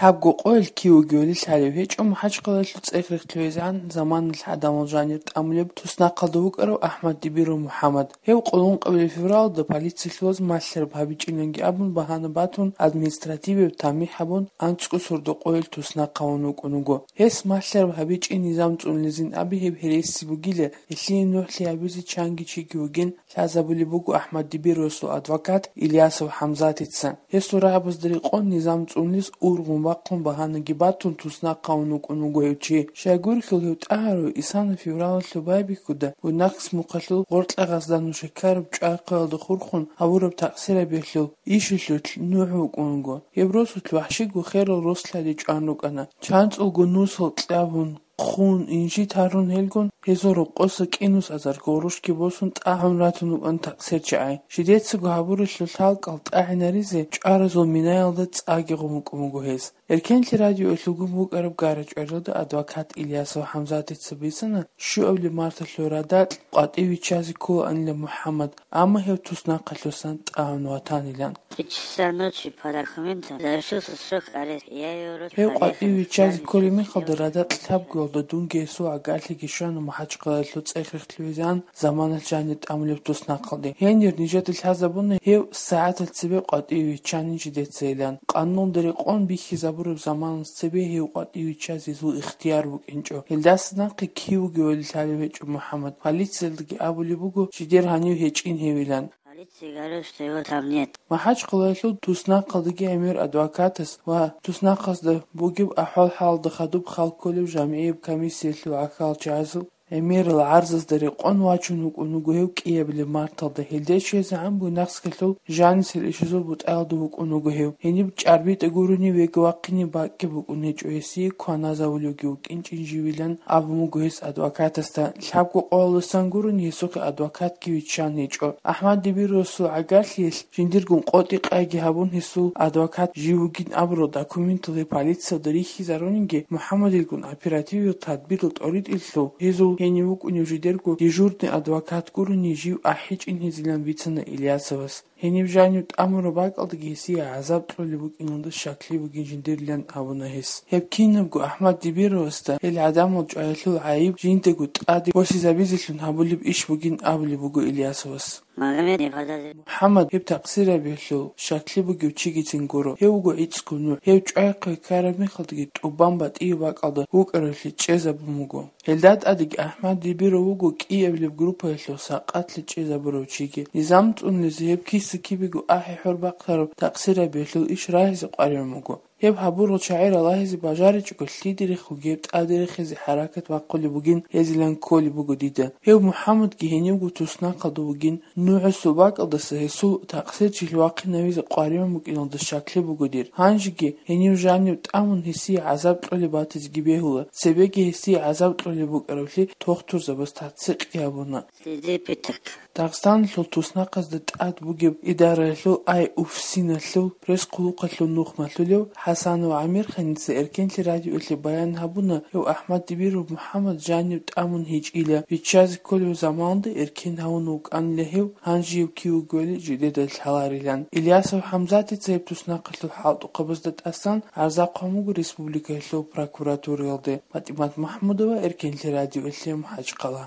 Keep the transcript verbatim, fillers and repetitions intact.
Лъабго къоялъ кив вугевали лъалев гьечӀо МахӀачхъалаялъул цӀех-рехтулъизегӀан заманалъ гӀадамал жанир тӀамулеб туснахъалда вукӀарав АхӀмад Дибиров МухӀаммад. Гьев къуллъанкъабилеб февралда полициялъулаз малъараб гьабичӀиланги абун багьана батун, административияб тамихӀ гьабун, анцӀго сордо къоялъ туснахъ гьавун вукӀун вуго. Гьес малъараб гьабичӀин низам цӀунулезин абе гьеб гьереси бугила, гьелъие нугӀлъи гьабизе чанги чиги вугин лъазабулеб буго АхӀмад Дибировасул адвокат Ильясов ХӀамзатица. Гьесул рагӀабазда рекъон низам цӀунулез ургъун-бахъун багьанаги батун туснахъ гьавун вукӀун вуго гьев чи. Щайгурелъул гьев тӀагӀарав исана февралалъул байбихьуда Буйнакск мухъалъул Гъоркьа-Гъаздан нуша ккараб ЧӀвай-Хъвелалда хурхун гьавураб такъсирабиялъул ишилъулъ нугӀ вукӀун вуго. Гьеб росулъ вахӀщиго херал рос лъади чӀван рукӀана. ЧанцӀулго нусал кьабун, хъун, инжит гьарун гьелгун, гьезул рокъоса кӀинус азар гъурущги босун тӀагӀун ратун вукӀана такъсирчагӀи. Жидецаго гьабуралъул лъалкӀал тӀагӀинаризе чӀваразул минаялда цӀаги гъун вукӀун вуго гьес. Эркенлъи радиоялъулгун букӀараб гара-чӀваралда адвокат Ильясов ХӀамзатица бицана, щуабилеб марталъул радакь къватӀиве виччазе кколаанила МухӀаммад, амма гьев туснахъалъусан тӀагӀун ватанилан. Три часа ночи по документам завершился срок ареста. Я его рот Гьев къватӀиве виччазе кколеб мехалда радакь лъабгоялда дунги гьесул гӀагарлъиги щвана МахӀачхъалаялъул цӀех-рехтулъизегӀан заманалъ жанир тӀамулеб туснахъалде. Гьенир нижеда лъазабуна гьев сагӀатал цебе къватӀиве виччанин жидецайилан. Къануналда рекъон бихьизабураб заманалъ цебе гьев къватӀиве виччазе гьезул ихтияр букӀинчӀо. Гьелдаса нахъе кив вугевали лъалев гьечӀо МухӀаммад. Полициялдаги абулеб буго жидер гьанив гьечӀин гьевилан. Полиция говорит, что его там нет. МахӀачхъалаялъул туснахъалдаги гӀемер адвокатас ва туснахъазда бугеб ахӀвал-хӀалалда хадуб хал кколев жамгӀияб комиссиялъул гӀахьалчагӀазул гӀемерал гӀарзазда рекъон вачун вукӀун вуго гьев кӀиабилеб марталда. Гьелде щвезегӀан Буйнакскалъул жанисел ишазул бутӀаялда вукӀун вуго гьев. Гьениб чӀарбитӀа гурони веги вахъине бакӀги букӀун гьечӀо, гьесие кваназавулевги вукӀинчӀин живилан абун буго гьес адвокатасда. Лъабго къоялдасан гурони гьесухъе адвокатги виччан гьечӀо. АхӀмад Дибировасул гӀагарлъиялъ жиндиргун къотӀи-къайги гьабун, гьесул адвокат жив вугин абурал документал гьеб полициялда рихьизарунинги, МухӀаммадилгун оперативиял тадбирал тӀоритӀелъул гьезул гьенив вукӀунев жидерго дежурный адвокат гурони жив ахӀичӀин гьезилан бицана Ильясовас. Гьениб жанив тӀамураб бакӀалдаги гьесие гӀазаб кьолеб букӀиналда щаклъи бугин жиндирилан абуна гьес. Гьеб кинабго АхӀмад Дибировасда гьел гӀадамал чӀваялъул гӀайиб жиндаго тӀаде босизабизелъун гьабулеб иш бугин абулеб буго Ильясовас. Магомед Ибадазир. МухӀаммад гьеб такъсирабиялъул щаклъи бугев чигицин гуро. Гьев вуго гӀицӀго нугӀ. Гьев чӀвайхъе ккараб мехалдаги тӀубан батӀияб бакӀалда вукӀаралъи чӀезабун вуго. Гьелда тӀадеги АхӀмад Дибиров вуго кӀиабилеб группаялъул сакъатлъи чӀезабурав чиги. Низам цӀунулезе гьеб киса-кибего ахӀи-хӀор бахъараб такъсирабиялъул иш рагьизе къваригӀун вуго. Гьеб гьабурал чагӀи ралагьизе бажаричӀого лъиде рехуге гьеб тӀаде рехизе хӀаракат бахъулеб бугин гьезилан кколеб буго дида. Гьев МухӀаммадги гьенивго туснахъалда вугин, нугӀусул бакӀалдаса гьесул такъсирчилъи вахъинавизе къваригӀун букӀиналда щаклъи буго дир. Гьанжеги гьенив жанив тӀамун гьесие гӀазаб кьолеб батизеги бегьула, цебеги гьесие гӀазаб кьолеб букӀаравлъи тохтурзабаз таццикъги гьабуна. Следы пыток. Дагъистаналъул туснахъазда тӀад бугеб идараялъул ай-уфсиналъул пресс-хъулухъалъул нухмалъулев ХӀасанов ГӀамирханица Эркенлъи радиоялъе баян гьабуна, гьев АхӀмад Дибиров МухӀаммад жанив тӀамун гьечӀила, виччазе кколев заманалда эркен гьавун вукӀанила гьев, гьанжеяв кив вугевали жидеда лъаларилан. Ильясов ХӀамзатица гьеб туснахъалъул хӀалтӀухъабазда тӀасан гӀарза хъван буго республикаялъул прокуратураялде. ПатӀимат МахӀмудова, Эркенлъи радиоялъе, МахӀачхъала.